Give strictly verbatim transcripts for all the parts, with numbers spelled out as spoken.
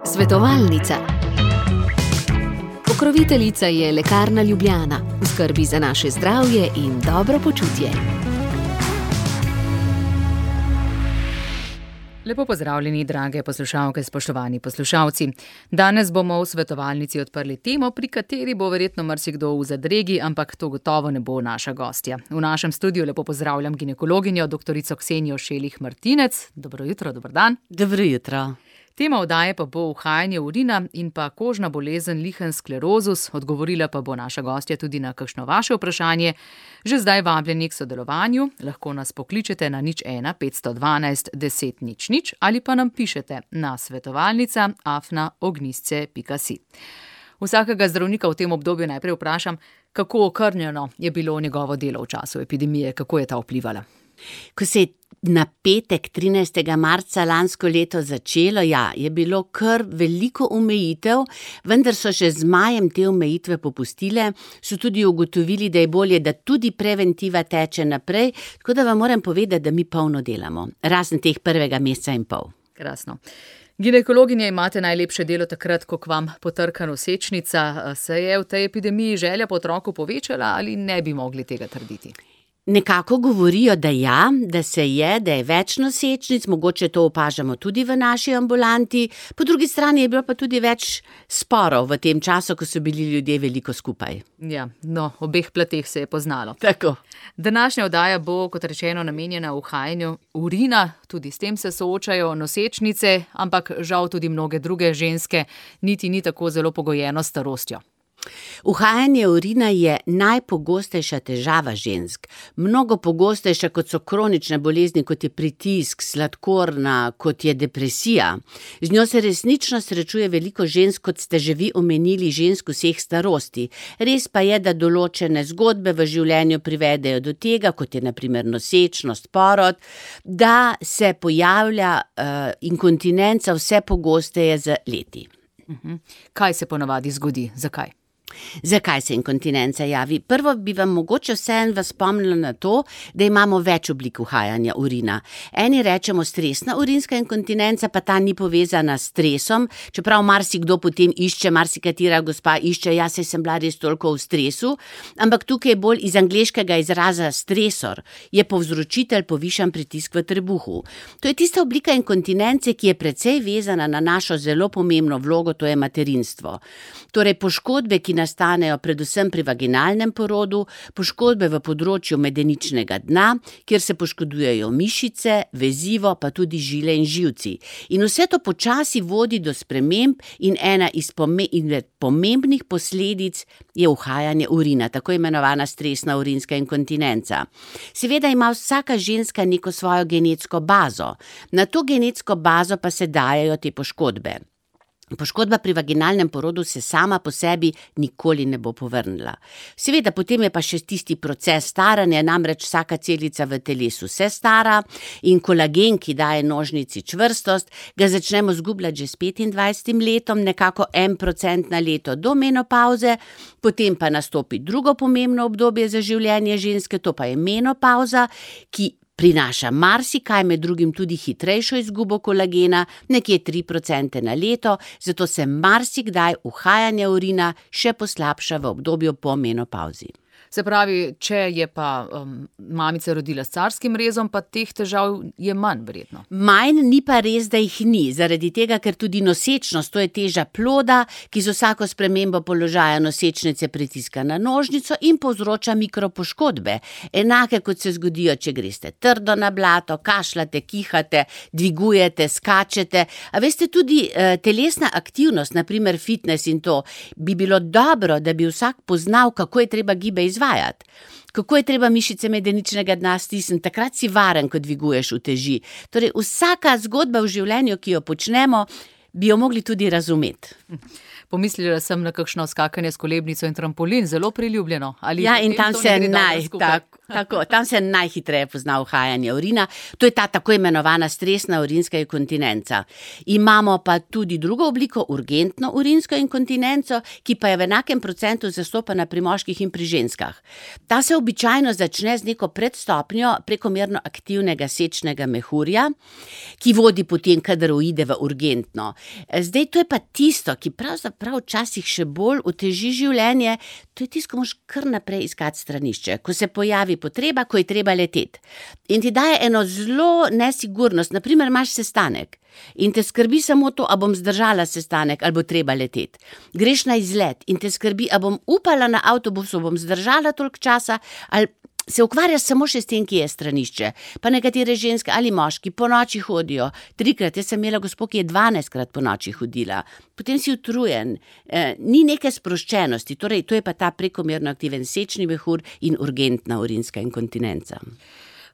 Svetovalnica. Pokroviteljica je Lekarna Ljubljana, v skrbi za naše zdravje in dobro počutje. Lepo pozdravljeni, drage poslušalke, spoštovani poslušalci. Danes bomo v svetovalnici odprli temo, pri kateri bo verjetno marsikdo v zadregi, ampak to gotovo ne bo naša gostja. V našem studiu lepo pozdravljam ginekologinjo, doktorico Ksenijo Šelih Martinec. Dobro jutro, dober dan. Dobro jutro. Tema oddaje pa bo uhajanje urina in pa kožna bolezen lichen sklerozus. Odgovorila pa bo naša gostja tudi na kakšno vaše vprašanje. Že zdaj vabljeni k sodelovanju, lahko nas pokličete na nič ena petsto dvanajst deset nič nič ali pa nam pišete na svetovalnica afna ognjisce pika si. Vsakega zdravnika v tem obdobju najprej vprašam, kako okrnjeno je bilo njegovo delo v času epidemije, kako je ta vplivala. Ko se je na petek trinajstega marca lansko leto začelo, ja, je bilo kar veliko omejitev, vendar so še z majem te omejitve popustile, so tudi ugotovili, da je bolje, da tudi preventiva teče naprej, tako da vam moram povedati, da mi polno delamo, razen teh prvega meseca in pol. Krasno. Ginekologinja, imate najlepše delo takrat, ko k vam potrka nosečnica. Se je v tej epidemiji želja po otroku povečala ali ne bi mogli tega trditi? Nekako govorijo, da ja, da se je, da je več nosečnic, mogoče to opažamo tudi v naši ambulanti, po drugi strani je bilo pa tudi več sporov v tem času, ko so bili ljudje veliko skupaj. Ja, no, obeh plateh se je poznalo. Tako. Današnja oddaja bo, kot rečeno, namenjena uhajanju urina, tudi s tem se soočajo nosečnice, ampak žal tudi mnoge druge ženske, niti ni tako zelo pogojeno s starostjo. Uhajanje urina je najpogostejša težava žensk. Mnogo pogostejša, kot so kronične bolezni, kot je pritisk, sladkorna, kot je depresija. Z njo se resnično srečuje veliko žensk, kot ste že vi omenili, žensk vseh starosti. Res pa je, da določene zgodbe v življenju privedejo do tega, kot je na primer nosečnost, porod, da se pojavlja uh, inkontinenca vse pogosteje z leti. Uh-huh. Kaj se ponavadi zgodi? Zakaj? Zakaj se inkontinenca javi? Prvo bi vam mogoče vseeno vas spomnila na to, da imamo več oblik uhajanja urina. Eni rečemo stresna urinska inkontinenca, pa ta ni povezana s stresom, čeprav marsikdo potem išče, marsikatera gospa išče, ja, saj sem bila res toliko v stresu, ampak tukaj je bolj iz angleškega izraza stresor, je povzročitelj povišan pritisk v trebuhu. To je tista oblika inkontinence, ki je precej vezana na našo zelo pomembno vlogo, to je materinstvo. Torej poškodbe, ki nastanejo predvsem pri vaginalnem porodu, poškodbe v področju medeničnega dna, kjer se poškodujejo mišice, vezivo, pa tudi žile in živci. In vse to počasi vodi do sprememb in ena iz pomembnih posledic je uhajanje urina, tako imenovana stresna urinska inkontinenca. Seveda ima vsaka ženska neko svojo genetsko bazo. Na to genetsko bazo pa se dajejo te poškodbe. Poškodba pri vaginalnem porodu se sama po sebi nikoli ne bo povrnila. Seveda, potem je pa še tisti proces staranja, namreč vsaka celica v telesu se stara in kolagen, ki daje nožnici čvrstost, ga začnemo zgubljati že s petindvajsetim letom, nekako en procent na leto do menopavze, potem pa nastopi drugo pomembno obdobje za življenje ženske, to pa je menopavza, ki prinaša marsikaj, med drugim tudi hitrejšo izgubo kolagena, nekje tri procente na leto, zato se marsikdaj uhajanje urina še poslabša v obdobju po menopavzi. Se pravi, če je pa um, mamica rodila s carskim rezom, pa teh težav je manj verjetno. Manj, ni pa res, da jih ni, zaradi tega, ker tudi nosečnost, to je teža ploda, ki z vsako spremembo položaja nosečnice pritiska na nožnico in povzroča mikropoškodbe. Enake kot se zgodijo, če greste trdo na blato, kašljate, kihate, dvigujete, skačete. A veste, tudi eh, telesna aktivnost, na primer fitness in to, bi bilo dobro, da bi vsak poznal, kako je treba gibe izvajati. Kako je treba mišice medeničnega dna stisniti, takrat si varen, ko dviguješ uteži. Torej, vsaka zgodba v življenju, ki jo počnemo, bi jo mogli tudi razumeti. Pomislila sem na kakšno skakanje s kolebnico in trampolin, zelo priljubljeno. Ali ja, in tam se naj, tako, Tako, tam se najhitreje pozna uhajanje urina. To je ta tako imenovana stresna urinska inkontinenca. Imamo pa tudi drugo obliko, urgentno urinsko inkontinenco, ki pa je v enakem procentu zastopana pri moških in pri ženskah. Ta se običajno začne z neko predstopnjo prekomerno aktivnega sečnega mehurja, ki vodi potem, kadar uide v urgentno. Zdaj, to je pa tisto, ki pravzaprav včasih še bolj oteži življenje, to je tisto, ko moraš kar naprej iskati stranišče, ko se pojavi potreba, ko je treba leteti. In ti daje eno zelo nesigurnost, naprimer imaš sestanek in te skrbi samo to, a bom zdržala sestanek, ali bo treba leteti. Greš na izlet in te skrbi, a bom upala na avtobusu, bom zdržala toliko časa, ali se ukvarjaš samo še s tem, ki je stranišče. Pa nekatere ženske ali moški po noči hodijo. Trikrat, jaz sem imela gospo, ki je dvanajstkrat po noči hodila. Potem si utrujen. E, ni neke sproščenosti. Torej, to je pa ta prekomerno aktiven sečni mehur in urgentna urinska inkontinenca.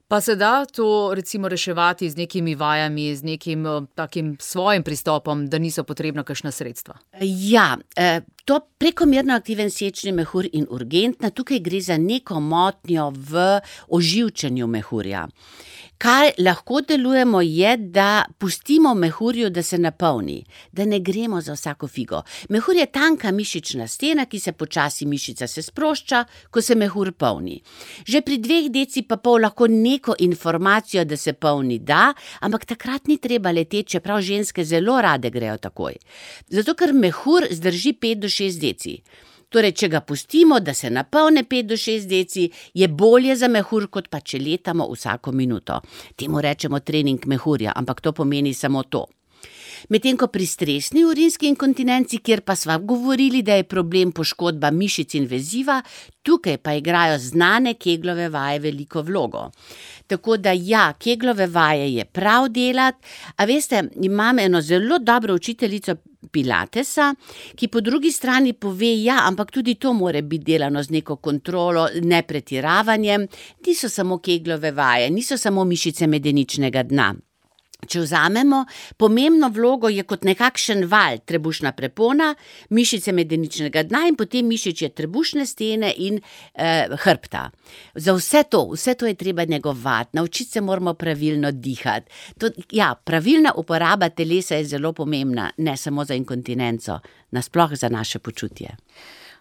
Pa se da to recimo reševati z nekimi vajami, z nekim takim svojim pristopom, da niso potrebna kakšna sredstva? Ja, to prekomerno aktiven sečni mehur in urgentna, tukaj gre za neko motnjo v oživčanju mehurja. Kaj lahko delujemo je, da pustimo mehurju, da se napolni, da ne gremo za vsako figo. Mehur je tanka mišična stena, ki se počasi mišica se sprošča, ko se mehur polni. Že pri dveh deci pa pol lahko neko informacijo, da se polni da, ampak takrat ni treba leteti, čeprav ženske zelo rade grejo takoj. Zato, ker mehur zdrži pet do šest deci. Torej, če ga pustimo, da se napolne pet do šest deci, je bolje za mehur, kot pa če letamo vsako minuto. Temu rečemo trening mehurja, ampak to pomeni samo to. Medtem ko pri stresni urinski inkontinenci, kjer pa sva govorili, da je problem poškodba mišic in veziva, tukaj pa igrajo znane Keglove vaje veliko vlogo. Tako da ja, Keglove vaje je prav delati, a veste, imam eno zelo dobro učiteljico Pilatesa, ki po drugi strani pove, ja, ampak tudi to mora biti delano z neko kontrolo, ne pretiravanjem, niso samo Keglove vaje, niso samo mišice medeničnega dna. Če vzamemo, pomembno vlogo je kot nekakšen val, trebušna prepona, mišice medeničnega dna in potem mišičje trebušne stene in eh, hrbta. Za vse to, vse to je treba negovati, naučiti se moramo pravilno dihati. To, ja, pravilna uporaba telesa je zelo pomembna, ne samo za inkontinenco, nasploh za naše počutje.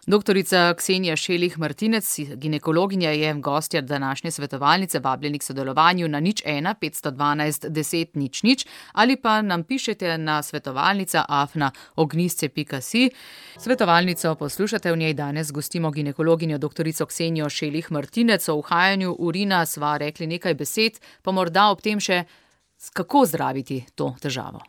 Doktorica Ksenija Šelih Martinec, ginekologinja, je gostja današnje svetovalnice, vabljeni k sodelovanju na nič ena petsto dvanajst deset nič nič ali pa nam pišete na svetovalnica afna ognjisce pika si. Svetovalnico poslušate, v njej danes gostimo ginekologinjo doktorico Ksenijo Šelih Martinec. O uhajanju urina sva rekli nekaj besed, pa morda ob tem še, kako zdraviti to težavo.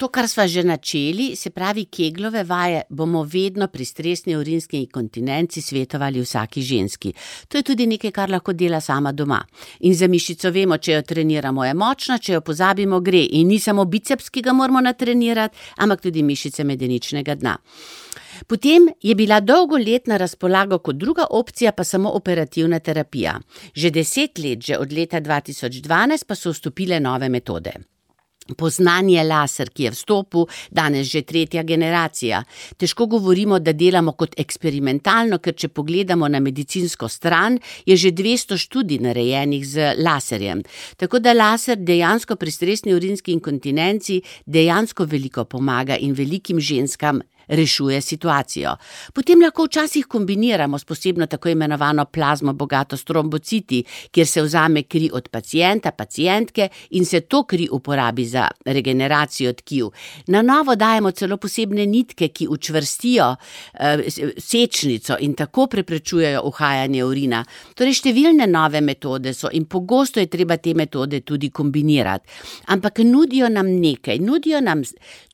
To, kar sva že načeli, se pravi Keglove vaje, bomo vedno pri stresni urinski inkontinenci svetovali vsaki ženski. To je tudi nekaj, kar lahko dela sama doma. In za mišico vemo, če jo treniramo, je močna, če jo pozabimo, gre. In ni samo biceps, ki ga moramo natrenirati, ampak tudi mišice medeničnega dna. Potem je bila dolgo let na razpolago kot druga opcija pa samo operativna terapija. Že deset let, že od leta dva tisoč dvanajst, pa so vstopile nove metode. Poznan je laser, ki je v stopu, danes že tretja generacija. Težko govorimo, da delamo kot eksperimentalno, ker če pogledamo na medicinsko stran, je že dvesto študij narejenih z laserjem. Tako da laser dejansko pri stresni urinski inkontinenci dejansko veliko pomaga in velikim ženskam rešuje situacijo. Potem lahko včasih kombiniramo s posebno tako imenovano plazmo bogato s trombociti, kjer se vzame kri od pacienta, pacientke in se to kri uporabi za regeneracijo tkiv. Na novo dajemo celo posebne nitke, ki učvrstijo eh, sečnico in tako preprečujejo uhajanje urina. Torej številne nove metode so in pogosto je treba te metode tudi kombinirati. Ampak nudijo nam nekaj, nudijo nam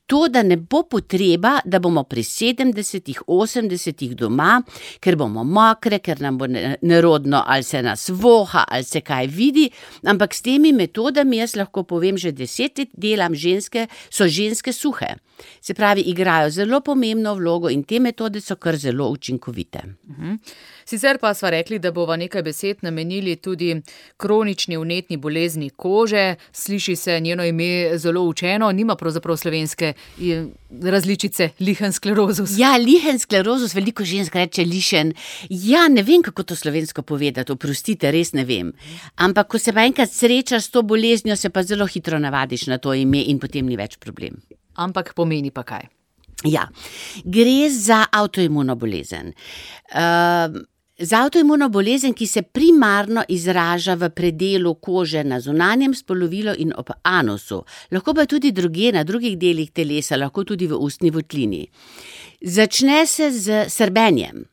to, da ne bo potreba, da bomo pri sedemdesetih, osemdesetih doma, ker bomo mokre, ker nam bo nerodno, ali se nas voha, ali se kaj vidi, ampak s temi metodami, jaz lahko povem, že deset let delam ženske, so ženske suhe. Se pravi, igrajo zelo pomembno vlogo in te metode so kar zelo učinkovite. Mhm. Sicer pa sva rekli, da bova nekaj besed namenili tudi kronični vnetni bolezni kože. Sliši se njeno ime zelo učeno, nima pravzaprav slovenske različice lichen sklerozus. Ja, lichen sklerozus, veliko žensk reče lišen. Ja, ne vem, kako to slovensko povedati, oprostite, res ne vem. Ampak, ko se pa enkrat srečaš s to boleznjo, se pa zelo hitro navadiš na to ime in potem ni več problem. Ampak pomeni pa kaj? Ja, gre za avtoimuno bolezen. Uh, za avtoimuno bolezen, ki se primarno izraža v predelu kože na zunanjem spolovilu in ob anusu. Lahko pa tudi drugje na drugih delih telesa, lahko tudi v ustni votlini. Začne se z srbenjem.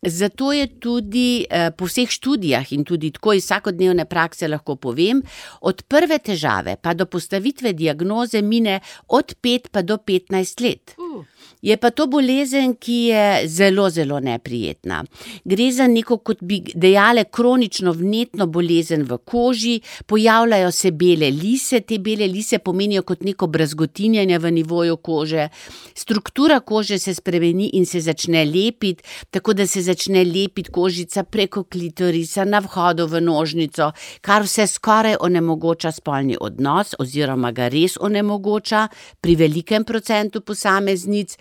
Zato je tudi eh, po vseh študijah in tudi tako iz vsakodnevne prakse lahko povem, od prve težave pa do postavitve diagnoze mine od pet pa do petnajst let. Uh. Je pa to bolezen, ki je zelo, zelo neprijetna. Gre za neko, kot bi dejale, kronično vnetno bolezen v koži, pojavljajo se bele lise, te bele lise pomenijo kot neko brazgotinjanje v nivoju kože, struktura kože se spremeni in se začne lepiti, tako da se začne lepiti kožica preko klitorisa na vhodu v nožnico, kar vse skoraj onemogoča spolni odnos oziroma ga res onemogoča pri velikem procentu posameznic.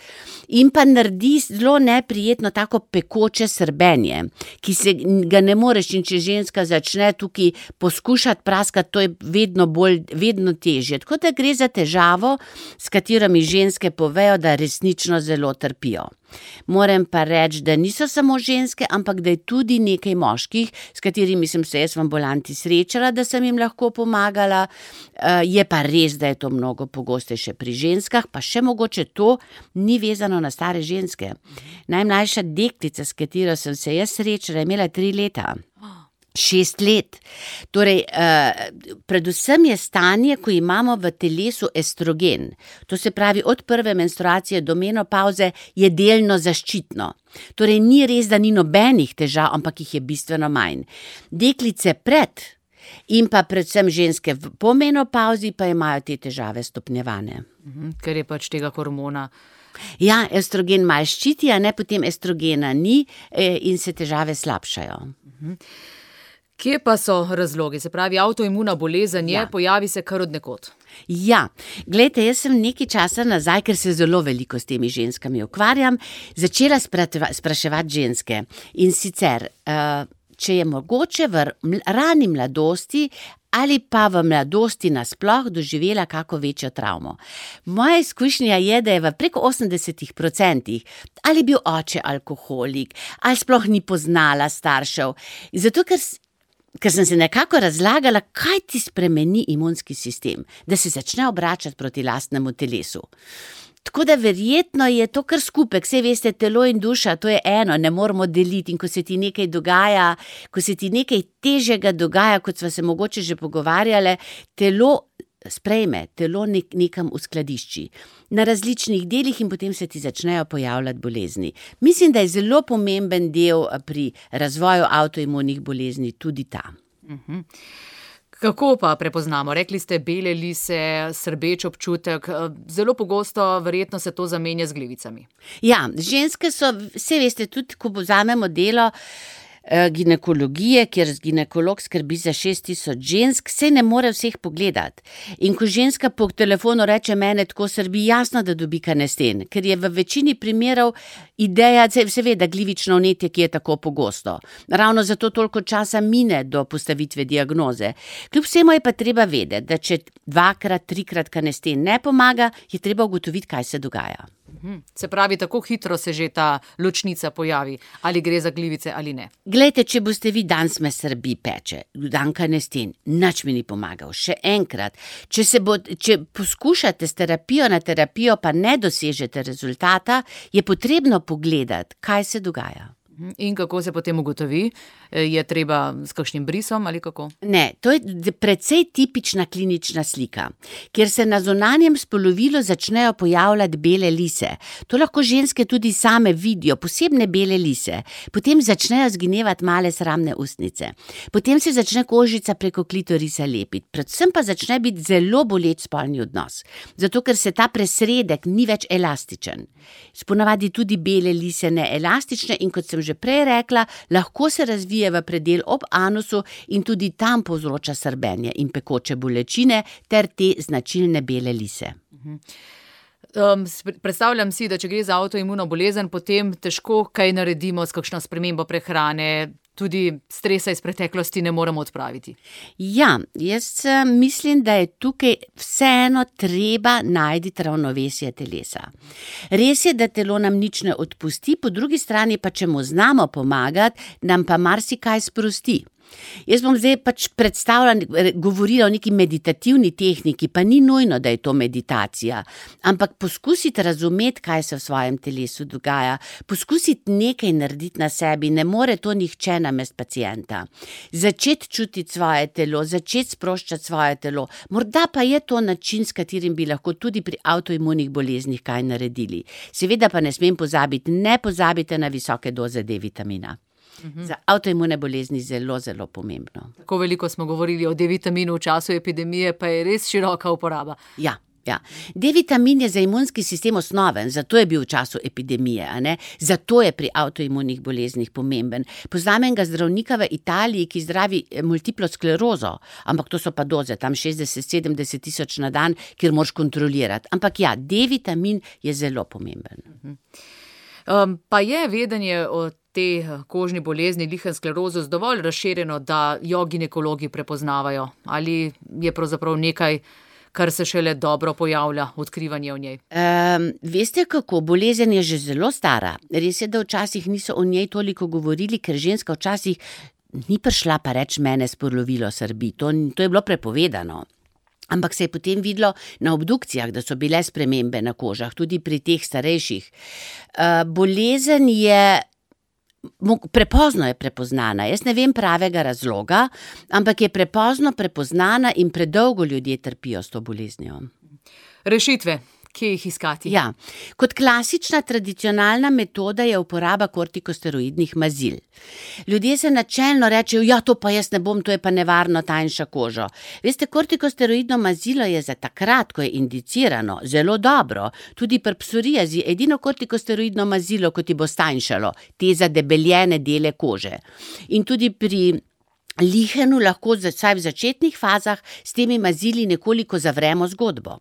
In pa naredi zelo neprijetno tako pekoče srbenje, ki se ga ne moreš, in če ženska začne tukaj poskušati praskati, to je vedno bolj, vedno težje. Tako da gre za težavo, s katerimi ženske povejo, da resnično zelo trpijo. Moram pa reči, da niso samo ženske, ampak da je tudi nekaj moških, s katerimi sem se jaz v ambulanti srečala, da sem jim lahko pomagala. Je pa res, da je to mnogo pogostejše pri ženskah, pa še mogoče to ni vezano na stare ženske. Najmlajša deklica, s katero sem se jaz srečala, je imela tri leta. Šest let. Torej, eh, predvsem je stanje, ko imamo v telesu estrogen. To se pravi, od prve menstruacije do menopavze je delno zaščitno. Torej, ni res, da ni nobenih težav, ampak jih je bistveno manj. Deklice pred in pa predvsem ženske po menopavzi pa imajo te težave stopnjevane. Mhm, ker je pač tega hormona. Ja, estrogen malo ščiti, a ne, potem estrogena ni eh, in se težave slabšajo. Mhm. Kje pa so razlogi? Se pravi, avtoimuna bolezen je, Ja. pojavi se kar od nekod. Ja, glejte, jaz sem nekaj časa nazaj, ker se zelo veliko s temi ženskami ukvarjam, začela sprateva, spraševati ženske. In sicer, uh, če je mogoče v ml- rani mladosti ali pa v mladosti nasploh doživela kako večjo travmo. Moja izkušnja je, da je v preko osemdesetih procentih ali bil oče alkoholik, ali sploh ni poznala staršev. Zato, ker Ker sem se nekako razlagala, kaj ti spremeni imunski sistem, da se začne obračati proti lastnemu telesu. Tako da verjetno je to kar skupek, saj veste, telo in duša, to je eno, ne moramo deliti, in ko se ti nekaj dogaja, ko se ti nekaj težjega dogaja, kot sva se mogoče že pogovarjale, telo sprejme, telo nek, nekam uskladišči na različnih delih in potem se ti začnejo pojavljati bolezni. Mislim, da je zelo pomemben del pri razvoju avtoimunih bolezni tudi ta. Mhm. Kako pa prepoznamo? Rekli ste bele lise, srbeč občutek, zelo pogosto verjetno se to zamenja z glivicami. Ja, ženske so, vse veste, tudi ko vzamemo delo ginekologije, kjer ginekolog skrbi za šest tisoč žensk, se ne more vseh pogledati. In ko ženska po telefonu reče, mene tako srbi, jasno, da dobi kanesten, ker je v večini primerov ideja, se ve, da glivično vnetje, ki je tako pogosto. Ravno zato toliko časa mine do postavitve diagnoze. Kljub vsemu je pa treba vedeti, da če dvakrat, trikrat kanesten ne pomaga, je treba ugotoviti, kaj se dogaja. Se pravi, tako hitro se že ta ločnica pojavi, ali gre za glivice ali ne. Glejte, če boste vi danes me srbi peče, dan kanesten, nič mi ni pomagal, še enkrat. Če, se bo, če poskušate s terapijo na terapijo, pa ne dosežete rezultata, je potrebno pogledati, kaj se dogaja. In kako se potem ugotovi? Je treba s kakšnim brisom ali kako? Ne, to je precej tipična klinična slika, kjer se na zunanjem spolovilu začnejo pojavljati bele lise. To lahko ženske tudi same vidijo, posebne bele lise. Potem začnejo zginevati male sramne ustnice. Potem se začne kožica preko klitorisa lepiti. Predvsem pa začne biti zelo boleč spolni odnos. Zato, ker se ta presredek ni več elastičen. Sponavadi tudi bele lise neelastične in kot sem že prej rekla, lahko se razvije v predel ob anusu in tudi tam povzroča srbenje in pekoče bolečine ter te značilne bele lise. Um, predstavljam si, da če gre za avtoimuno bolezen, potem težko kaj naredimo s kakšno spremembo prehrane, tudi stresa iz preteklosti ne moremo odpraviti. Ja, jaz mislim, da je tukaj vseeno treba najti ravnovesje telesa. Res je, da telo nam nič ne odpusti, po drugi strani pa, če mu znamo pomagati, nam pa marsikaj sprosti. Jaz bom zdaj pač predstavljala, govorila o neki meditativni tehniki, pa ni nujno, da je to meditacija, ampak poskusiti razumeti, kaj se v svojem telesu dogaja, poskusiti nekaj narediti na sebi, ne more to nihče namest pacienta. Začeti čutiti svoje telo, začeti sproščati svoje telo, morda pa je to način, s katerim bi lahko tudi pri avtoimunih boleznih kaj naredili. Seveda pa ne smem pozabiti, ne pozabite na visoke doze D-vitamina. Za avtoimune bolezni zelo, zelo pomembno. Tako veliko smo govorili o D-vitaminu v času epidemije, pa je res široka uporaba. Ja, ja. D-vitamin je za imunski sistem osnoven, zato je bil v času epidemije, a ne? Zato je pri avtoimunih boleznih pomemben. Poznam enega zdravnika v Italiji, ki zdravi multiplo sklerozo, ampak to so pa doze, tam šestdeset sedemdeset tisoč na dan, kjer moraš kontrolirati. Ampak ja, D-vitamin je zelo pomemben. Um, pa je vedenje o te kožni bolezni lihen sklerozus dovolj razširjeno, da jo ginekologi prepoznavajo? Ali je pravzaprav nekaj, kar se šele dobro pojavlja, odkrivanje o njej? Um, veste kako, bolezen je že zelo stara. Res je, da včasih niso o njej toliko govorili, ker ženska včasih ni prišla pa reč mene spolovilo srbi. To, to je bilo prepovedano. Ampak se je potem videlo na obdukcijah, da so bile spremembe na kožah, tudi pri teh starejših. Uh, bolezen je prepozno je prepoznana. Jaz ne vem pravega razloga, ampak je prepozno prepoznana in predolgo ljudje trpijo s to boleznijo. Rešitve, kje jih iskati? Ja, kot klasična tradicionalna metoda je uporaba kortikosteroidnih mazil. Ljudje se načelno rečejo, ja, to pa jaz ne bom, to je pa nevarno, tanjša kožo. Veste, kortikosteroidno mazilo je za takrat, ko je indicirano, zelo dobro. Tudi pri psoriazi edino kortikosteroidno mazilo, ko ti bo stanjšalo te zadebeljene dele kože. In tudi pri lihenu lahko vsaj v začetnih fazah s temi mazili nekoliko zavremo zgodbo.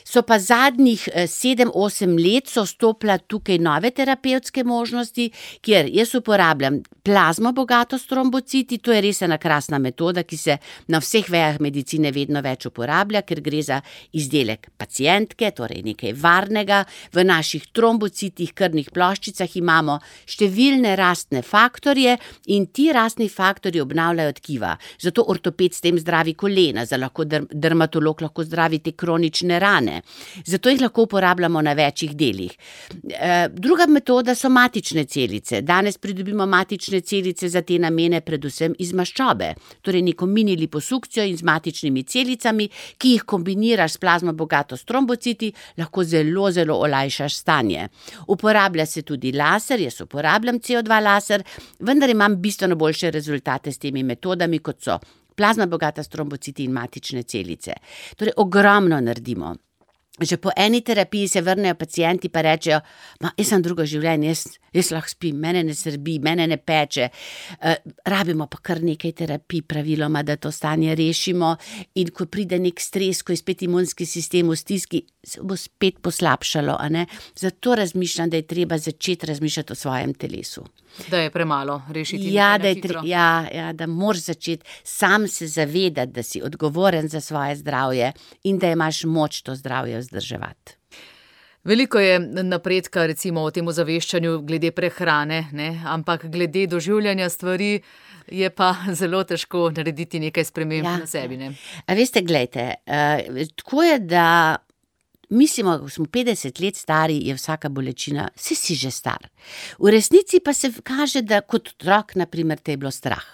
So pa zadnjih sedem osem let so stopila tukaj nove terapevtske možnosti, kjer jaz uporabljam plazmo bogato s trombociti, to je res ena krasna metoda, ki se na vseh vejah medicine vedno več uporablja, ker gre za izdelek pacientke, torej nekaj varnega. V naših trombocitih, krvnih ploščicah imamo številne rastne faktorje in ti rastni faktorji obnavljajo tkiva. Zato ortoped s tem zdravi kolena, za lahko dermatolog lahko zdravi te kronične rane. Zato jih lahko uporabljamo na večjih delih. E, druga metoda so matične celice. Danes pridobimo matične celice za te namene predvsem iz maščobe, torej neko mini liposukcijo in z matičnimi celicami, ki jih kombiniraš s plazmo bogato s trombociti, lahko zelo, zelo olajšaš stanje. Uporablja se tudi laser, jaz uporabljam C O dva laser, vendar imam bistveno boljše rezultate s temi metodami, kot so plazma bogata s trombociti in matične celice. Torej, ogromno naredimo. Že po eni terapiji se vrnejo pacienti pa rečejo, ma, jaz sem drugo življenje, jaz, jaz lahko spim, mene ne srbi, mene ne peče. Uh, rabimo pa kar nekaj terapij praviloma, da to stanje rešimo in ko pride nek stres, ko je spet imunski sistem v stiski, se bo spet poslabšalo, a ne? Zato razmišljam, da je treba začeti razmišljati o svojem telesu. Da je premalo rešiti. Ja, da, je tre, ja, ja, da moraš začeti sam se zavedati, da si odgovoren za svoje zdravje in da imaš moč to zdravje vzdrževati. Veliko je napredka recimo o tem ozaveščanju glede prehrane, ne? Ampak glede doživljanja stvari je pa zelo težko narediti nekaj sprememb ja. na sebi. Ne? A veste, glejte, uh, tako je, da mislimo, ko smo petdeset let stari, je vsaka bolečina, si si že star. V resnici pa se kaže, da kot otrok, na primer, te je bilo strah.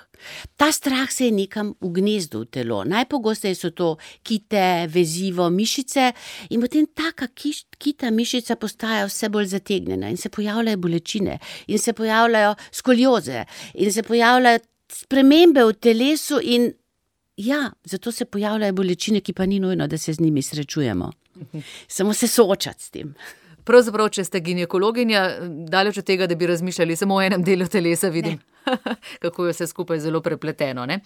Ta strah se je nekam ugnezdo v telo. Najpogosteje so to kite, vezivo, mišice in potem taka kiš, kita mišica postaja vse bolj zategnjena in se pojavljajo bolečine in se pojavljajo skolioze in se pojavljajo spremembe v telesu in ja, zato se pojavljajo bolečine, ki pa ni nujno, da se z njimi srečujemo. Samo se soočati s tem. Pravzaprav, če ste ginekologinja, daleč od tega, da bi razmišljali samo o enem delu telesa, vidim, kako je vse skupaj zelo prepleteno, ne?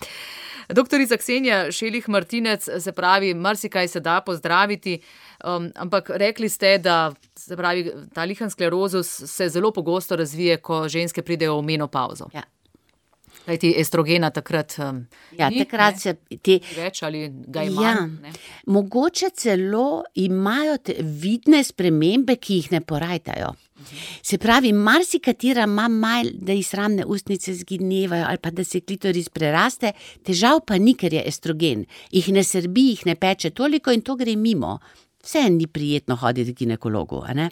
Doktorica Ksenija Šelih Martinec, se pravi, marsikaj se da pozdraviti, um, ampak rekli ste, da se pravi, ta lihen sklerozus se zelo pogosto razvije, ko ženske pridejo v menopavzo. Ja. Kajti estrogena takrat um, ja, ni, takrat se te... več ali ga ima. Ja, ne? Mogoče celo imajo te vidne spremembe, ki jih ne porajtajo. Se pravi, marsikatera ima malo, da ji sramne ustnice zginevajo ali pa da se klitoris preraste, težav pa ni, ker je estrogen. Jih ne srbi, jih ne peče toliko in to gre mimo. Vse ni prijetno hoditi k ginekologu, a ne?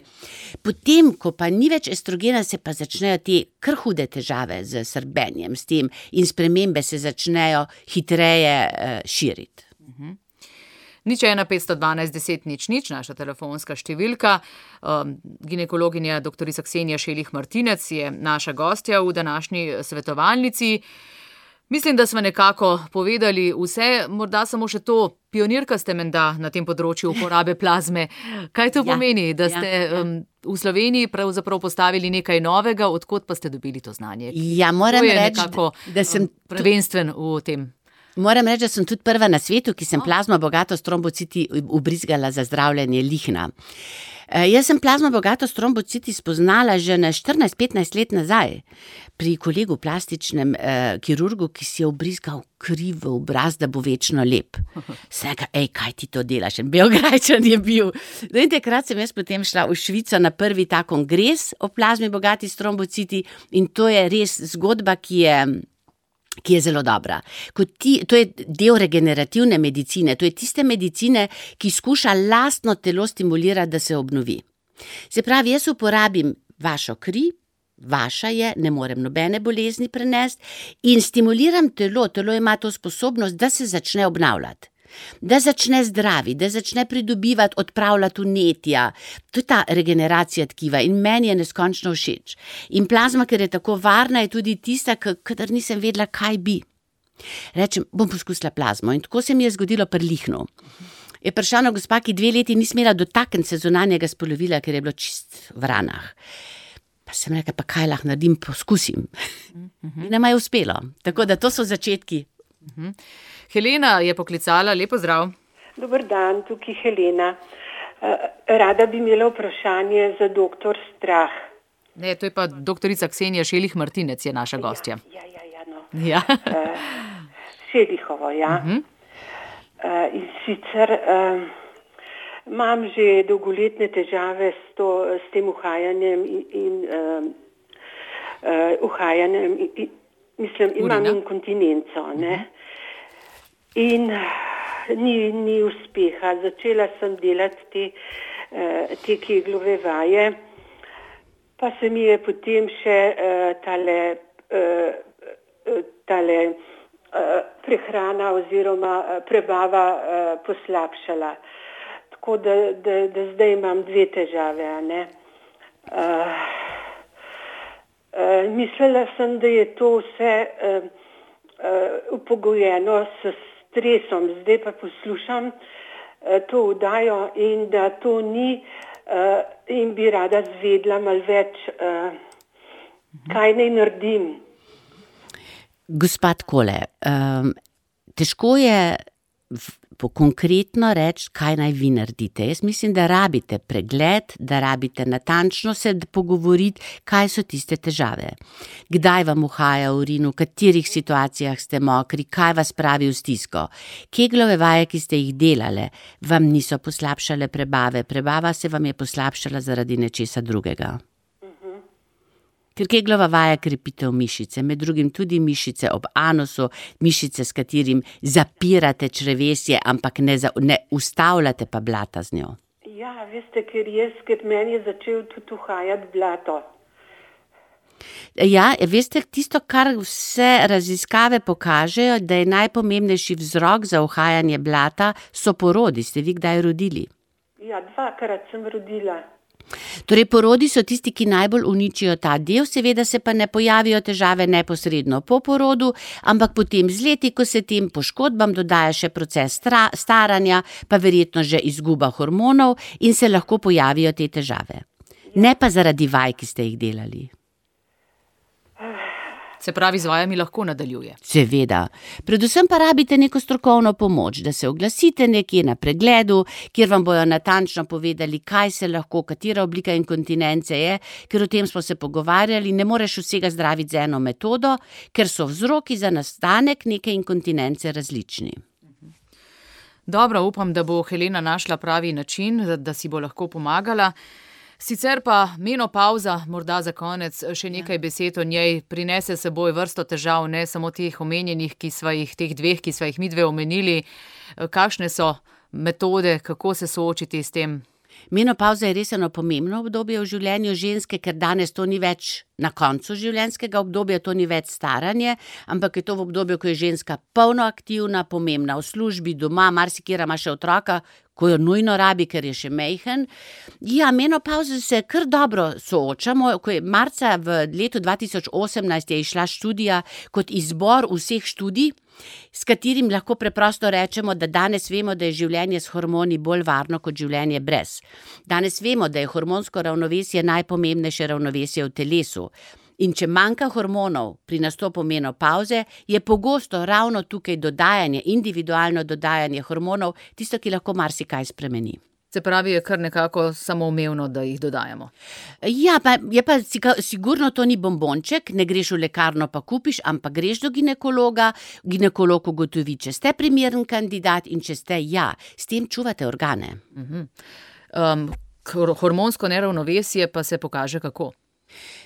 Potem, ko pa ni več estrogena, se pa začnejo te kar hude težave z srbenjem, s tem in spremembe se začnejo hitreje uh, širiti. Uh-huh. Nič ena petsto dvanajst deset nič nič, naša telefonska številka. Um, ginekologinja doktorica Ksenija Šelih Martinec je naša gostja v današnji svetovalnici. Mislim, da smo nekako povedali vse, morda samo še to, pionirka ste menda na tem področju uporabe plazme. Kaj to ja, pomeni, da ste ja, ja. Um, v Sloveniji pravzaprav postavili nekaj novega, odkot pa ste dobili to znanje? Ja, moram reči, nekako, da sem um, prvenstven v tem. Moram reči, da sem tudi prva na svetu, ki sem plazmo bogato s trombociti ubrizgala za zdravljenje lihna. E, jaz sem plazmo bogato s trombociti spoznala že na štirinajst petnajst let nazaj pri kolegu plastičnem eh, kirurgu, ki si je ubrizgal kri v obraz, da bo večno lep. Sem rekla, ej, kaj ti to delaš? En Beograjčan je bil. In takrat sem jaz potem šla v Švico na prvi ta kongres o plazmi bogati s trombociti in to je res zgodba, ki je ki je zelo dobra. Ti, to je del regenerativne medicine, to je tiste medicine, ki skuša lastno telo stimulirati, da se obnovi. Se pravi, jaz uporabim vašo kri, vaša je, ne morem nobene bolezni prenesti in stimuliram telo, telo ima to sposobnost, da se začne obnavljati. Da začne zdravi, da začne pridobivati, odpravljati vnetja. To je ta regeneracija tkiva in meni je neskončno všeč. In plazma, ker je tako varna, je tudi tista, kadar nisem vedela, kaj bi. Rečem, bom poskusila plazmo in tako se mi je zgodilo pri lihnu. Je prišla na gospa, ki dve leti ni smela dotakniti se zunanjega spolovila, ker je bilo čist v ranah. Pa sem rekla, pa kaj lahko naredim, poskusim. In nama je uspelo. Tako da to so začetki. Helena je poklicala, lepo zdrav. Dober dan, tukaj Helena. Rada bi imela vprašanje za doktor Strah. Ne, to je pa doktorica Ksenija Šelih Martinec je naša gostja. Ja, ja, ja, no. Ja. Šelihovo, ja. Uh-huh. In sicer uh, imam že dolgoletne težave s, to, s tem uhajanjem in, in uh, uh, uhajanjem, in, mislim, imam inkontinenco, ne. Uh-huh. In ni, ni uspeha. Začela sem delati te, te keglove vaje, pa se mi je potem še tale, tale prehrana oziroma prebava poslabšala. Tako da, da, da zdaj imam dve težave. A ne? Uh, uh, mislila sem, da je to vse uh, uh, upogojeno s stresom, zdaj pa poslušam uh, to vdajo in da to ni uh, in bi rada zvedla malo več, uh, kaj naj naredim. Gospa takole, um, težko je v, po konkretno reči, kaj naj vi naredite. Jaz mislim, da rabite pregled, da rabite natančno se pogovoriti, kaj so tiste težave. Kdaj vam uhaja urin, v katerih situacijah ste mokri, kaj vas pravi v stisko. Keglove vaje, ki ste jih delale, vam niso poslabšale prebave. Prebava se vam je poslabšala zaradi nečesa drugega. Ker keglova vaja krepitev mišice, med drugim tudi mišice ob anusu, mišice, s katerim zapirate črevesje, ampak ne, za, ne ustavljate pa blata z njo. Ja, veste, ker jaz, ker meni je začel tudi uhajati blato. Ja, veste, tisto, kar vse raziskave pokažejo, da je najpomembnejši vzrok za uhajanje blata, so porodi. Ste vi kdaj rodili? Ja, dvakrat sem rodila. Torej, porodi so tisti, ki najbolj uničijo ta del, seveda se pa ne pojavijo težave neposredno po porodu, ampak potem z leti, ko se tem poškodbam dodaja še proces staranja, pa verjetno že izguba hormonov in se lahko pojavijo te težave. Ne pa zaradi vaj, ki ste jih delali. Se pravi, z vajami lahko nadaljuje. Seveda. Predvsem pa rabite neko strokovno pomoč, da se oglasite nekje na pregledu, kjer vam bojo natančno povedali, kaj se lahko, katera oblika inkontinence je, ker o tem smo se pogovarjali, ne moreš vsega zdraviti z eno metodo, ker so vzroki za nastanek neke inkontinence različni. Dobro, upam, da bo Helena našla pravi način, da si bo lahko pomagala. Sicer pa menopavza, morda za konec še nekaj besed o njej, prinese s seboj vrsto težav, ne samo teh omenjenih, ki sva jih, teh dveh, ki sva jih midve omenili. Kakšne so metode, kako se soočiti s tem? Menopavza je res eno pomembno obdobje v življenju ženske, ker danes to ni več na koncu življenjskega obdobja, to ni več staranje, ampak je to v obdobju, ko je ženska polno aktivna, pomembna v službi, doma, marsikera ima še otroka, ko jo nujno rabi, ker je še majhen. Ja, menopavzo se kar dobro soočamo, ko je marca v letu dva tisoč osemnajst je izšla študija kot izbor vseh študij, s katerim lahko preprosto rečemo, da danes vemo, da je življenje s hormoni bolj varno kot življenje brez. Danes vemo, da je hormonsko ravnovesje najpomembnejše ravnovesje v telesu. In če manjka hormonov pri nastopu menopavze, je pogosto ravno tukaj dodajanje, individualno dodajanje hormonov, tisto, ki lahko marsikaj spremeni. Se pravi, je kar nekako samoumevno, da jih dodajamo. Ja, pa je pa sigurno to ni bombonček, ne greš v lekarno pa kupiš, ampak greš do ginekologa, ginekolog ugotovi, če ste primeren kandidat in če ste, ja, s tem čuvate organe. Uh-huh. Um, hormonsko neravnovesje pa se pokaže kako?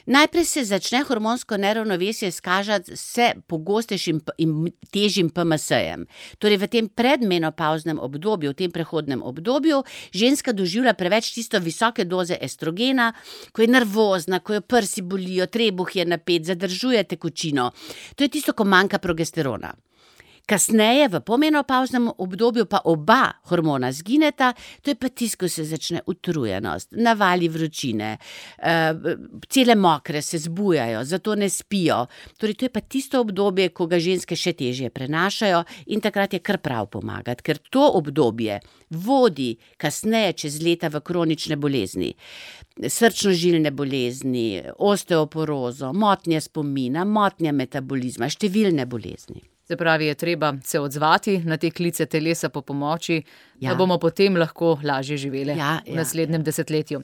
Najprej se začne hormonsko neravnovesje skažati vse pogostejšim in težjim P M S-jem. Torej v tem predmenopavznem obdobju, v tem prehodnem obdobju, ženska doživlja preveč tisto visoke doze estrogena, ko je nervozna, ko jo prsi bolijo, trebuh je napet, zadržuje tekočino. To je tisto, ko manjka progesterona. Kasneje, v pomenopavznem obdobju, pa oba hormona zgineta, to je pa tisto, ko se začne utrujenost, navali vročine, cele mokre se zbujajo, zato ne spijo. Torej, to je pa tisto obdobje, ko ga ženske še težje prenašajo in takrat je kar prav pomagati, ker to obdobje vodi kasneje čez leta v kronične bolezni. Srčno-žilne bolezni, osteoporozo, motnje spomina, motnje metabolizma, številne bolezni. Se pravi, je treba se odzvati na te klice telesa po pomoči, ja. Da bomo potem lahko lažje živeli ja, v naslednjem ja. desetletju.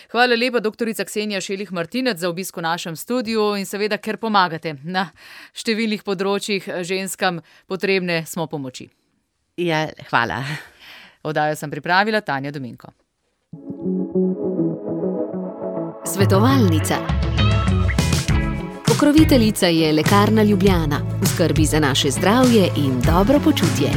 Hvala lepa, doktorica Ksenija Šelih Martinec, za obisk v našem studiu in seveda, ker pomagate na številnih področjih ženskam, potrebne smo pomoči. Ja, hvala. Oddajo sem pripravila Tanja Dominko. Svetovalnica. Pokroviteljica je Lekarna Ljubljana, v skrbi za naše zdravje in dobro počutje.